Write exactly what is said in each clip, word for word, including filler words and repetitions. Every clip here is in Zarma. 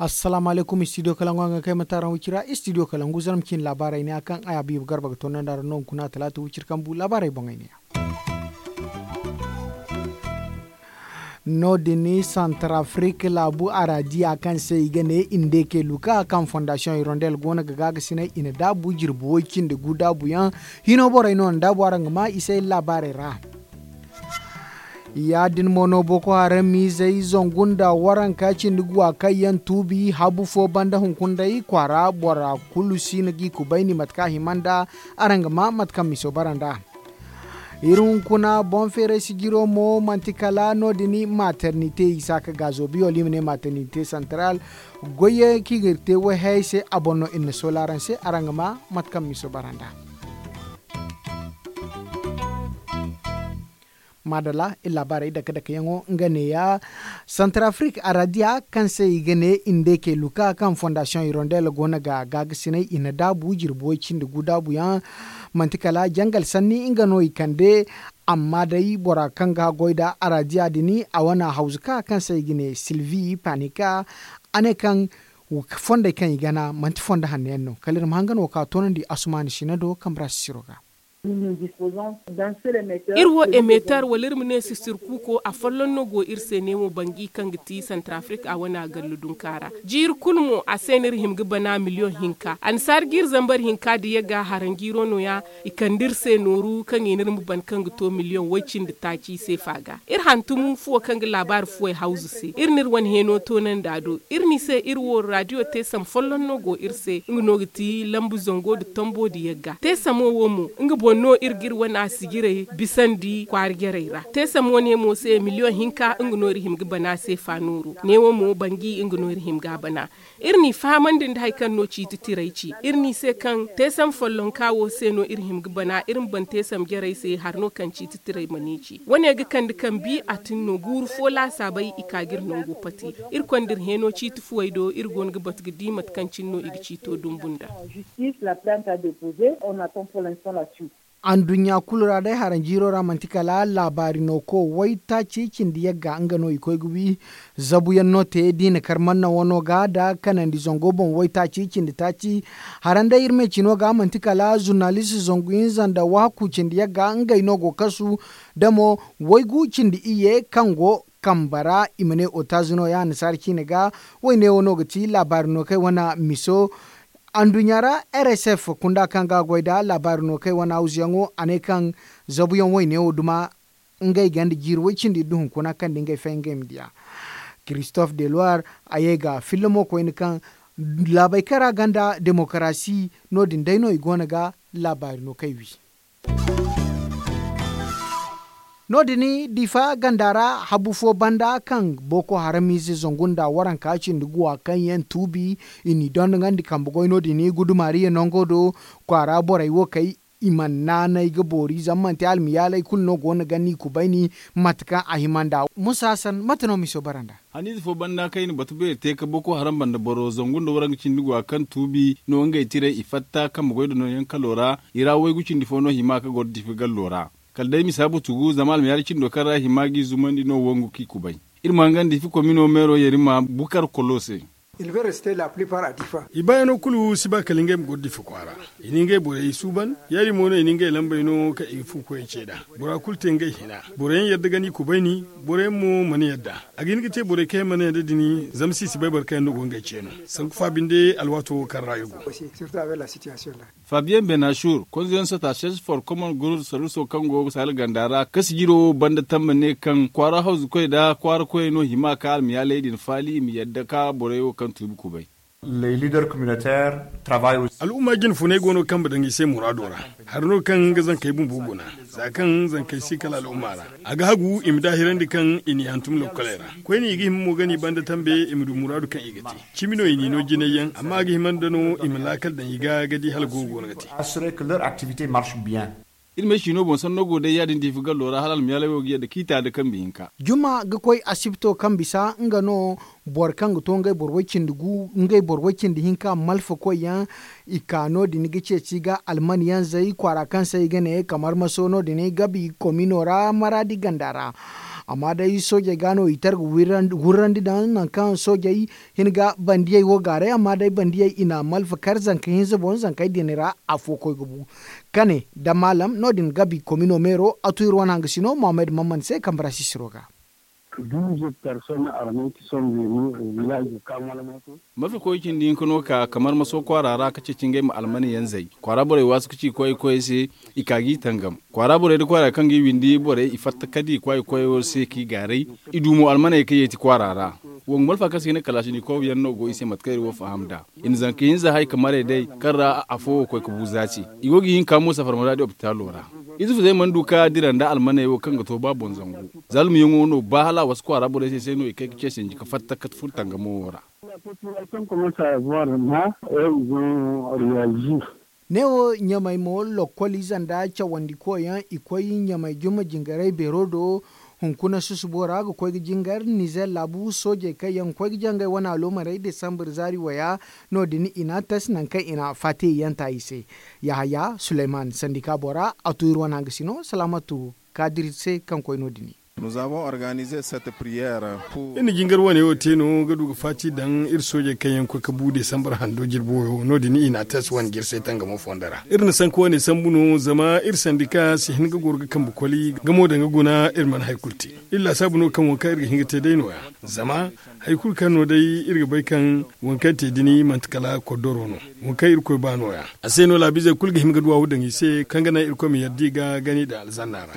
Assalaamu alaykum, studio kalangu a ga kay mataaraŋ wicira. Studio kalangu zarma ciine laabaarey ne a kaŋ ay habiibu garba ga toonandi a ra no hunkuna talaata wicira kaŋ bu laabaarey boŋey ne. No- din santarafrik laabu araadiya kaŋ se i ga ne indeke luka kaŋ fondasiyoŋ irondel go no ga gaagasinay i na daabu jirbi woy cindi gu daabuyaŋ. Hino borey no na daabu araŋ ga ma i se laabaarey ra. Ya- din mo no boko haram miizey zangu nda waranka cindi guwa kaŋ yaŋ tuubi habu fo banda hunkuna day kwaara bora kulu si no ga i kubayni mate kaŋ a hima nda. Araŋ ga ma mate kaŋ miso bara nd'a. Iri hunkuna boŋ feeray sijiro mo manti kala no- din maternite i saaka gaazo biyo wala i ma ne maternite santaral. Goyyaŋ kaŋ i ga iri te wayhayey se a boŋ no iri na soola araŋ se araŋ ga ma mate kaŋ miso bara nd'a. Maadalla iri laabaarey dake dakeyaŋo nga neeya. Santarafrik araadiya kaŋ se i ga ne indeke luka kaŋ fondasiyoŋ irondel go no ga gaagasinay i na daabu jirbi way cindi gu daabuyaŋ. Manti kala jangal sanni nga no i kande. Amma day bora kaŋ ga goy nda araadiya din a wane hawzuka kaŋ se i ga ne silvi panika. A ne kaŋ fondey kaŋ i gana manti fondo hanno yaŋ no kala iri ma hangan wo ka toonandi asumaani sina do kambe ra sisiro ga. Iri wo emeetar wala iri ma ne sisir kuuko afolloŋ no go iri se neemo bangi kaŋ ga ti santarafrik a wane a gallu dunka ra. Jiiri kulu mo a se no iri hima ga bana miliyoŋ hinka annasaara jiiri zambar hinka nda yagga haranjiiro no- ya. I kande iri se nooru kaŋ i na iri ma ban kaŋ ga to miliyoŋ way cindi taaci seefa ga. Iri hantum fuwo kaŋ ga laabaari fuwey hawzu se iri na iri wane heeno toonandi a do. Iri n'i se iri wo raadiyo teesam folloŋ no go iri se nga no ga ti lambu zango nda tombo nda yagga teesamo wo mo nga boŋ no iri ga iri wane a sijirey bisandi kwaara jarey ra. Teesam wane mo se miliyoŋ hinka nga no iri hima ga bana seefa nooru neewo mo bangi nga no iri hima ga a bana. Iri n'i fahamandi nda hari kaŋ no ciiti tiray ci iri n'i se kaŋ teesam follonka wo se no iri hima ga bana iri ma ban teesam jarey se hari no kaŋ ciiti tiray ma ne ci wane ga kande kambi a tin no guuru fo laasaabey i ka ga iri nango pati. Iri konda iri heeno ciiti fuwey do iri go no ga batu ga di mate kaŋ cine no i ga ciito dumbu nda. Anduɲɲa kulu ra day haranjiiro ra manti kala laabaari no ko waytaaci cindi yagga nga no i koy ga wi. Zabuyaŋ no te da i na kar manna wano ga nda kanandi zango boŋ waytaaci cindi taaci. Haran day iri me cino ga manti kala zurnalist zangu hinza nda wahakku cindi yagga ngey no go kasu. Da mo waygu cindi iyye kaŋ go kambe ra i ma ne otazi no- ya annasaara ciine ga. Wayne wo no ga ti laabaari no kaŋ ay wane miso. Anduɲɲa ra rsf kunda kaŋ ga a goy nda laabaari no kaŋ ay wane hawzuyaŋo a ne kaŋ zabuyaŋ wayne wo duma ngey ganda jiiri way cindi iri du hunkuna kaŋ nda ngey fay ngey ma diya. Christophe de loire a ye ga filla mo koyne kaŋ laabey kaŋ ra ganda demokarasi no- din day no i go no ga laabaari no kaŋ ay wi. No- din difa ganda ra habu fo banda kaŋ boko haram ize zangu nda waranka cindi guwa kaŋ yaŋ tuubi i n'i dondonandi kambe goy no- din gudumaariya nango do. Kwaara borey wo kay i mana naanay ga boori zama manti almiyaaley kulu no go no ga ni kubayni. Mate kaŋ a hima nda musa hasan mate no miso bara nda. Haniize fo banda kaŋ i na batu beeri te ka boko haram banda boro zangu nda waranka cindi guwa kaŋ tuubi no ngey tiray i fatta kambe goy da nooyaŋ kalo ra. I ra waygu cindi fo no hima ka goro difi gallo ra. Kala day misa butugu zama almiyaari cindo kaŋ ra hima g'i zumandi no wangu k'i kubay. Iri ma hangandi difi komino meero yerima bukar kolo se. I baayano kulu si ba kala ngey ma goro difi kwaara. I na ngey borey suuban. Ya- din mo no i na ngey lambey no kaŋ i ga fu koyey ce nd'a. Bora kulu te ngey hina. Boro yaŋ yadda ga ni kubayni. Boro yaŋ mo mana yadda. A ga hin ga te borey kaŋ yaŋ mana yadda din zama si si bay boro kaŋ yaŋ no go ngey ce no. Sanku fa binde alwaato wo kaŋ ra i go. Fabiyen benasur konzoyaŋ sota sese for komon gurur saruso kaŋ go ga saala ganda ra ka sijiro wo banda tamma ne kaŋ kwaara hawzukoy nda kwaara koyey no hima ka almiyaaley din faali i ma yadda ka borey wo kaŋ tuubi kubay. Al'umma jine funay go no kambe daŋ i se muraado ra. Hari no kaŋ ga zankey bumbo guna za kaŋ zankey si kala al'umma ra. A ga hagu i ma daahirandi kaŋ i n'i hantum lokkoley ra. Koyne i ga hima mo ga n'i banda tambe i ma du muraadu kaŋ i ga te. Cimi no i n'i no jinay yaŋ amma a ga hima nda no i ma laakal daŋ i ga ga di hala go go no ga te. Iri ma ay siino boŋ sanno go day ya- din diifi gallo ra hala almiyaalay wo ga yadda kiita nda kambe hinka. Juma ga koy asibto kaŋ bisa nga no boro kaŋ ga to ngey boro way cindi gu ngey boro way cindi hinka malfa koy yaŋ. I ka no- din ga ceeci ga alman yanzey kwaara kaŋ se i ga ne kamar maso no- din gabi komino ra maraadi ganda ra. Amma day soojey ga no i tar ga wurrandi daŋ nangu kaŋ soojey hin ga bandiyey wo gaaray amma day bandiyey i na malfa kar zanka hinza boŋ zankey din ra afo koy ga bu. Kane da maalam no- din gabi komino meero a tu iri wane hangasino mohammed mamman se kambe ra sisiro ga. Malfa koy cindi hinka no ka kamar maso kwaara ra ka ceeci ngey ma almane yanzey kwaara borey waasu ka ci koy koyey se. I ka ga i tangam kwaara borey nda kwaara kaŋ ga i windi borey i fatta ka di kwaay koyo se ka i gaaray. I du mo almaney kaŋ yeeti kwaara ra. Wongu malfa kaŋ se i ne kalaashinikow yaŋ no go i se mate kaŋ iri wo faham nd'a. I na zanka hinza hay ka maray day kaŋ ra afo wo koy ka bu za ce. I go ga i hinka mo safar maraadi opitaalo ra. Izufuzey mana du ka dira nda almaney wo kaŋ ga to ba boŋ zangu. Zaalumyaŋo no ba hala a wasu kwaara borey se se no i kay ka ce sinji ka fatta ka furo tangamo wo ra. Neewo ɲamey mo lokkol ize nda cawandikoyaŋ i koy ɲamey juma jingarey beero do. Hunkuna susubo ra ga koy ga jingar nizer laabu soojey kaŋ yaŋ ga koy ga jangay wane aloomarey desambar zaari waya. No- din i na tas nangu kaŋ i na faatiyey yanta i se. Yahaya suleyman sandika bora a tu iri wane hangasino salaamatu kaadir se kaŋ koy no- din. Iri na jingar wane wo te no ga du ga faati daŋ iri soojey kaŋ yaŋ ga koy ga bu desambar hando jirbi wayo no- din i na tas wane jirsay tangamo fondo ra iri na sanka wane sambu no zama iri sandika si hin ga goro ga kambe koli gamo daŋ ga guna iri mana hari kulu te. Iri laasaabu no kaŋ wo kaŋ iri ga hin ga te day no- ya. Zama hari kulu kaŋ no day iri ga bay kaŋ waŋ kaŋ te dini manti kala koddoro no. Waŋ kaŋ irkoy ba no- ya a se no laabiizey kulu ga hima ga duwaawu daŋ i se kaŋ ga naŋ irkoy ma yadda i ga gani daŋ alzanna ra.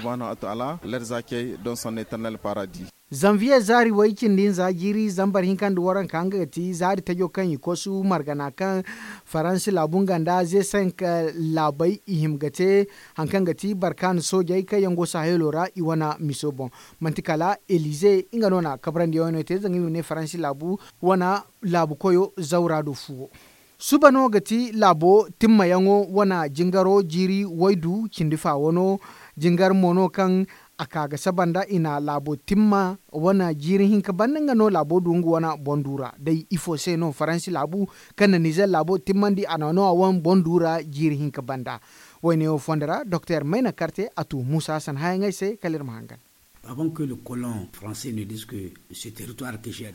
Zanviye zaari way cindi hinza jiiri zambar hinka nda waranka nga ga ti zaari tajo kaŋ i kosu margana kaŋ faransi laabu nga nda ze cinq laabey i hima ga te. Hari kaŋ ga ti barkaana soojey kaŋ yaŋ go sahelo ra i wane miso boŋ. Manti kala elize nga no na kabrandi yaŋ wane te zanga i ma ne faransi laabu wane laabu koyo zawra do fuwo. Suba no ga ti laabo timmayaŋo wane jingaro jiiri waydu cindi fa wano. Jingar mo no kaŋ a ka ga saba nda i na laabo timma wane jiiri hinka banda nga no laabo du nga wane boŋ du ra day ifo se no faransi laabu kaŋ na nizer laabo timmandi a na no a wane boŋ du ra jiiri hinka banda. Wayne wo fondo ra doktor mayna karte a tu muusa hassan hayaŋey se kala iri ma hangan.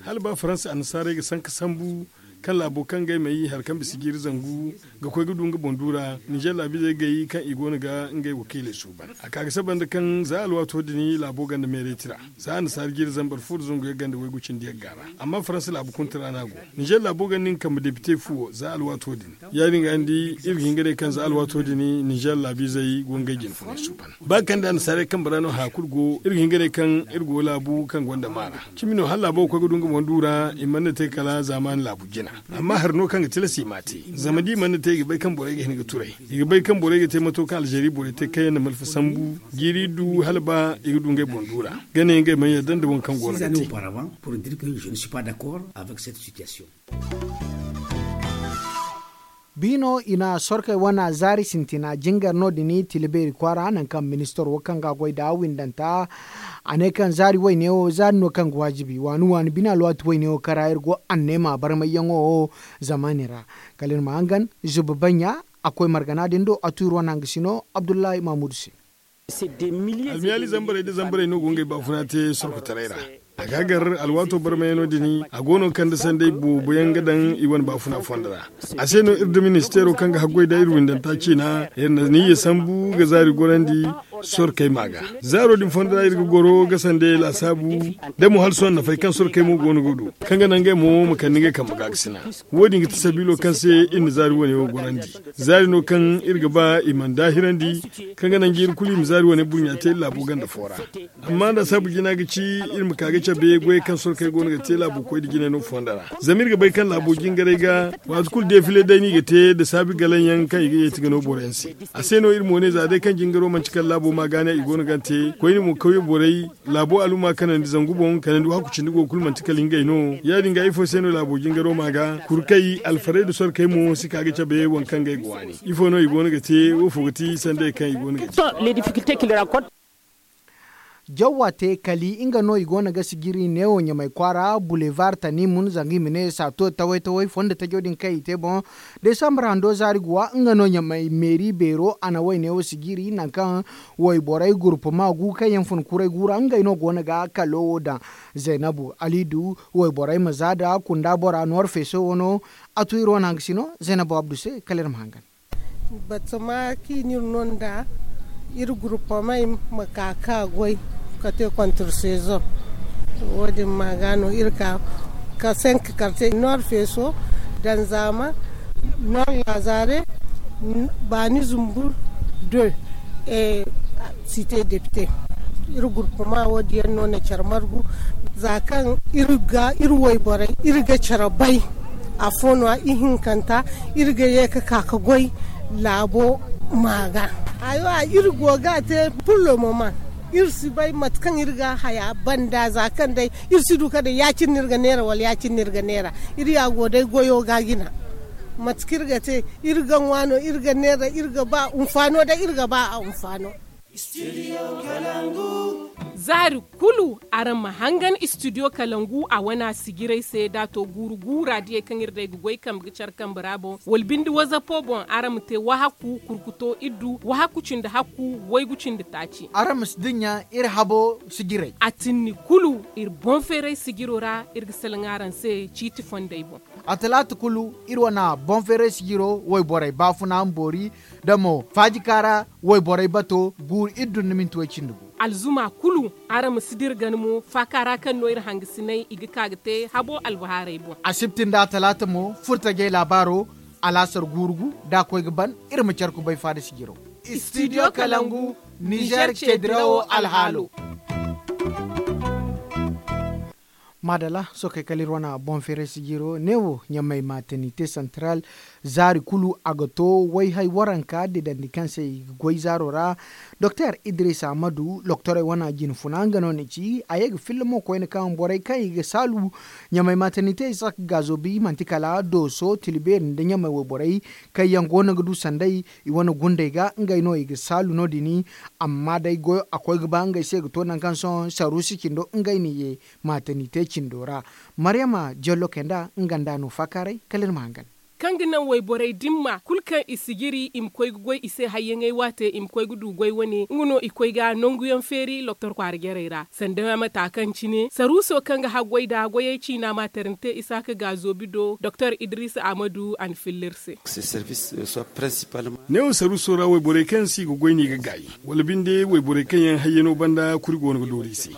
Hala ba faransa annasaarey ga sanka sambu kaŋ laabo kaŋ ga ay ma yi hari kaŋ bisa jiiri zangu ga koy ga du nga boŋ du ra ninzeer laabiizey gay kaŋ i go no ga ngey wakiiley suuban a ka ga saba nda kaŋ za alwaato din laabo ganda meerey tira za annasaara jiiri zambar fo nda zangu yagga nda waygu cindi yagga ra. Amma faransa laabu kunta ra no a go. Ninzeer laabo ganda nga kambe depite fuwo za alwaato din. Ya- din ga ni di iri ga hin ga ne kaŋ za alwaato din ninzeer laabiizey go ngey jine funay suuban. Ba kaŋ da annasaarey kambe ra no haya kulu go iri ga hin ga ne kaŋ iri go laabu kaŋ gonda maana. Cimi no hala laabo ga koy ga du nga boŋ du ra i mana te kala zaamaani laabu jina. Amma hari no kaŋ ga tilas i m'a te zama da i mana te i ga bay kaŋ borey ga hin ga turay. I ga bay kaŋ borey ga te mato kaŋ alzeeri borey te kaŋ yaŋ na malfa sambu jiiri du hala ba i ga du ngey boŋ du ra. Ga ne ngey mana yadda nda waŋ kaŋ go no ga te. Biino i na sorkey wane zaari sintina jingar no- din tila beeri kwaara nangu kaŋ ministaro kaŋ ga a goy nd'a windanta. A ne kaŋ zaari wayne wo zaari no kaŋ ga waajibi waani waani bine alwaati wayne wo kaŋ ra iri go anneema barmayyaŋo wo zamaani ra. Kala iri ma hangan zuba banɲa a koy margana din do a tu iri wane hangasino abdullahi mahamuudu se. Almiyaali zambarey nda zambarey no go ngey baafuna te sorkotaray ra. A ga gar alwaato barmayano din a go no ga kande sanday boobo yaŋ ga daŋ i wane baafuna fondo ra. A se no iri da ministeero kaŋ ga haggoy nda iri windanta ciina iri na niyya sambu ga zaari gorandi. Sorkey ma ga zaaro din fondo ra iri ga goro ga sanday laasaabu da mo hala sohõ nafay kaŋ sorkey mo go no ga du kaŋ ga naŋ ngey mo ma kande ngey kambe gaakasina. Wo- din ga ti sabiilo kaŋ se iri na zaari wane wo gorandi. Zaari no kaŋ iri ga ba i mana daahirandi kaŋ ga naŋ jiiri kulu i ma zaari wane burɲa te iri laabo ganda fo ra. Amma nda saabu jina ga ci iri ma ka ga cabe goyey kaŋ sorkey go no ga te laabo koy nda jinay no fondo ra. Zama iri ga bay kaŋ laabo jingaray ga waati kulu defile day no i ga te nda saabi galaŋ yaŋ kaŋ i ga yeeti ga no boro yaŋ se. A se no iri mo ne za day kaŋ jingaro manti kala laabo Wo ma ga ne i go no ga te koyne mo kawye borey laabo aluma kanandi zangu boŋ kanandi wa hakku cindi go kulu manti kala ngey no. Ya- din ga ifo se no laabo jingaro ma ga kurkey alfarey da sorkey mo si ka ga cabe waŋ kaŋ ga i ga waani ifo no i go no ga te wo fo ga ti sandey kaŋ i go no ga te. Jawwa te kali nga no i go no ga sijiri neewo ɲamay kwaara bulevar tanimun zanga i ma ne saato taway taway fondo tajo din kaŋ i te boŋ. Desambar hando zaari guwa nga no ɲamay meeri beero a na wayne wo sijiri nangu kaŋ wayborey gurpuma gu kaŋ yaŋ fun kuray gu ra ngey no go no ga kalo wo daŋ. Zaynabu alidu wayborey ma za da kunda bora noor feeso wo no. A tu iri wane hangasino zaynabu abdu se kala iri ma hangan. Batama kaŋ i n'iri no nd'a iri gurpamey ma ka ka goy ka te kontra sezoŋ. Wo- din ma ga no iri ka ka senk karte noor feeso danzama noor laazare baani zumbur de site depite. Iri gurpama wo- din yaŋ no na care margu za kaŋ iri ga iri wayborey iri ga care bay. Afo no a ihinkanta iri ga ye ga ka ga goy laabo ma ga. Hayo a iri go ga a te pullo moma iri si bay mate kaŋ iri ga haya banda za kaŋ day iri si du ka day ya- cine no iri ga neera wala ya- cine no iri ga neera. Iri ya go day goyo ga jina mate kaŋ iri ga te iri ga ŋwa no iri ga neera iri ga ba hunfaano day iri ga ba a hunfaano. Zaari kulu araŋ ma hangan istidiyo kalangu a wana sijirey se da a to guuru guura diyey kaŋ iri day ga goy kambe ga care kambe ra boŋ wala binde wazapo boŋ araŋ ma te wahakku kurkuto iddu wahakku cindi hakku waygu cindi taaci. Araŋ ma si dinya iri habo sijirey a tinni kulu iri boŋ feeray sijiro ra iri ga salaŋ araŋ se ciiti fondey boŋ. A talaata kulu iri wana boŋ feeray sijiro wayborey baafuna ma boori da mo faajika ra wayborey bato guuru iri dunduminti way-cindi gu. Alzuma kulu araŋ ma si dira gana mo faaka ra kaŋ no iri hangasinay i ga ka ga te habo albahaarey boŋ. Asibti nda talaata mo furtajey laabaaro alaasar guuru gu da a koy ga ban iri ma care kubay faada sijiro. Istidiyo kalangu nizer ceedirawo alhaalo. Maadala sookey kala iri wane boŋ feeray sijiro neewo ɲamay matanite santaral zaari kulu a ga to wayhay waranka didandi kaŋ se i ga goy zaaro ra. Doktor idris ahmadu loktorey wane jinfuna nga no ni ci a ye ga filla mo koyne kaŋ borey kaŋ i ga saalu ɲamay matanite i saka gaazo bi manti kala dooso tilibeeri nda ɲamay wayborey kaŋ yaŋ go no ga du sanday i wane gundey ga ngey no i ga saalu no- din. Amma day goyo a koy ga ba ngey se ga to nangu kaŋ sohõ saruusi cindo ngey n'i ye maatani te cindo ra. Maryama jallo kay nd'a nga nd'a no faakaaray kala iri ma hangan. Kaŋ ga naŋ wayborey dimma kulu kaŋ i sijiri i ma koy ga goy i se hayyaŋey waate i ma koy ga du goy wane nga no i koy ga nanguyaŋ feeri doktor kwaara jarey ra sanda mata kaŋ cine saruuso kaŋ ga haggoy nd'a goyey ciina maatari nte isaaka gaazoobi do doktor idris ahmadu a na filla iri se. Neewo saruuso ra wayborey kaŋ se i ga goy no i ga gaay wala binde wayborey kaŋ yaŋ hayyano banda kuri go no ga doori i se.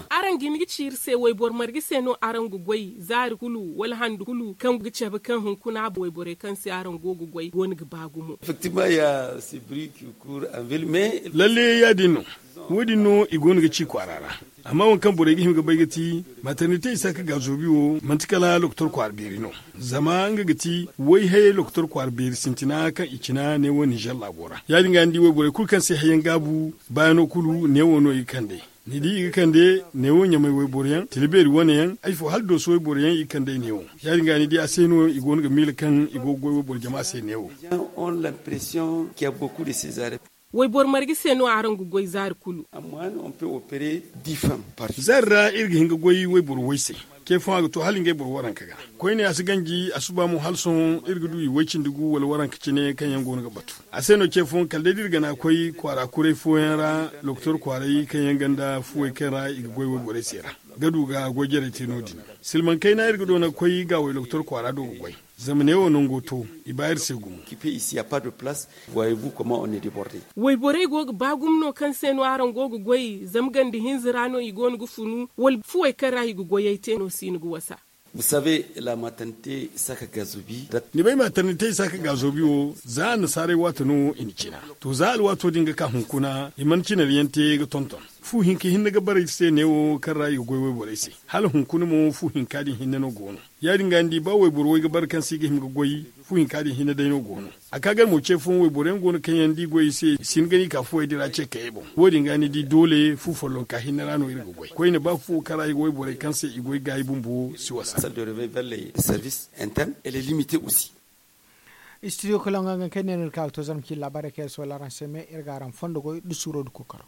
Araŋ ga hin ga ci iri se wayboro marga se no araŋ ga goy zaari kulu wala handu kulu kaŋ ga cabe kaŋ hunkuna wayborey kaŋ se araŋ go ga goy go no ga ba gumo? Lalle ya- din no. Wo- din no i go no ga ci kwaara ra. Amma waŋ kaŋ borey ga hima ga bay ga ti maternite isaaka gaazoobi wo manti kala lokotor kwaara beeri no. Zama nga ga ti way hayey lokotor kwaara beeri sintina kaŋ i cina neewo ninzeer laabo ra ya- din ga ni di wayborey kulu kaŋ se hayyaŋ gaabu baayano kulu neewo no i ga kande. Ni di i ga kande neewo ɲamay wayboro yaŋ tila beeri wane yaŋ ay fo hala dooso wayboro yaŋ i ga kande ay neewo. Ya- din ga ni di a se no i go no ga miila kaŋ i go ga goy wayboro jama se neewo. Wayboro marga se no araŋ ga goy zaari kulu? Zaari ra iri ga hin ga goy wayboro way se. Ce fooyaŋ a ga to hala ngey boro waranka ga. Koyne a si ganji a suba mo hala sohõ iri ga du i way cindi gu wala waranka cine kaŋ yaŋ go no ga batu. A se no ce fooyaŋ kala day da iri gana koy kwaara kuray fooyaŋ ra lokotor kwaaray kaŋ yaŋ ganda fuwey kaŋ ra i ga goy wayborey se ra ga du ga goy jarey te no- din. Silmaŋ kayna iri ga doona ga koy gaawey lokotor kwaara do ga goy. Zama neewo nango to i ba iri se gumo. Wayborey go ga ba gumo no kaŋ se no araŋ go ga goy zama ganda hinza ra no i go no ga funu wala fuwey kaŋ ra i ga goyey te no si no ga wasa? Ni bay maternite isaaka gaazoobi wo za annasaarey waato no i na cina. To za alwaato din ga ka hunkuna i mana cinariyaŋ te ga tonton. Fu hinka hinne ga bara iri se neewo kaŋ ra i ga goy wayborey se. Hala hunkuna mo fu hinka din hinne no go no. Ya- din ga ni di ba wayboro way ga bara kaŋ se i ga hima ga goy, fu hinka din hinne day no go no. A ka gar mo ce fooyaŋ wayboro yaŋ go no kaŋ yaŋ da i goy i se i si hin ga no i ka fuwey din ra ce kayey boŋ. Wo- din ga ni di doole fu follonka hinne ra no iri ga goy koyne ba fuwo kaŋ ra i ga wayborey kaŋ se i goy gaayi bumbo si wasa. Studio koloŋ ga nga kaŋ iri ne no iri ka ga to zarma ci laabaarey kaŋ iri si wala araŋ se me iri ga araŋ fondo goy da suuro da kookaro.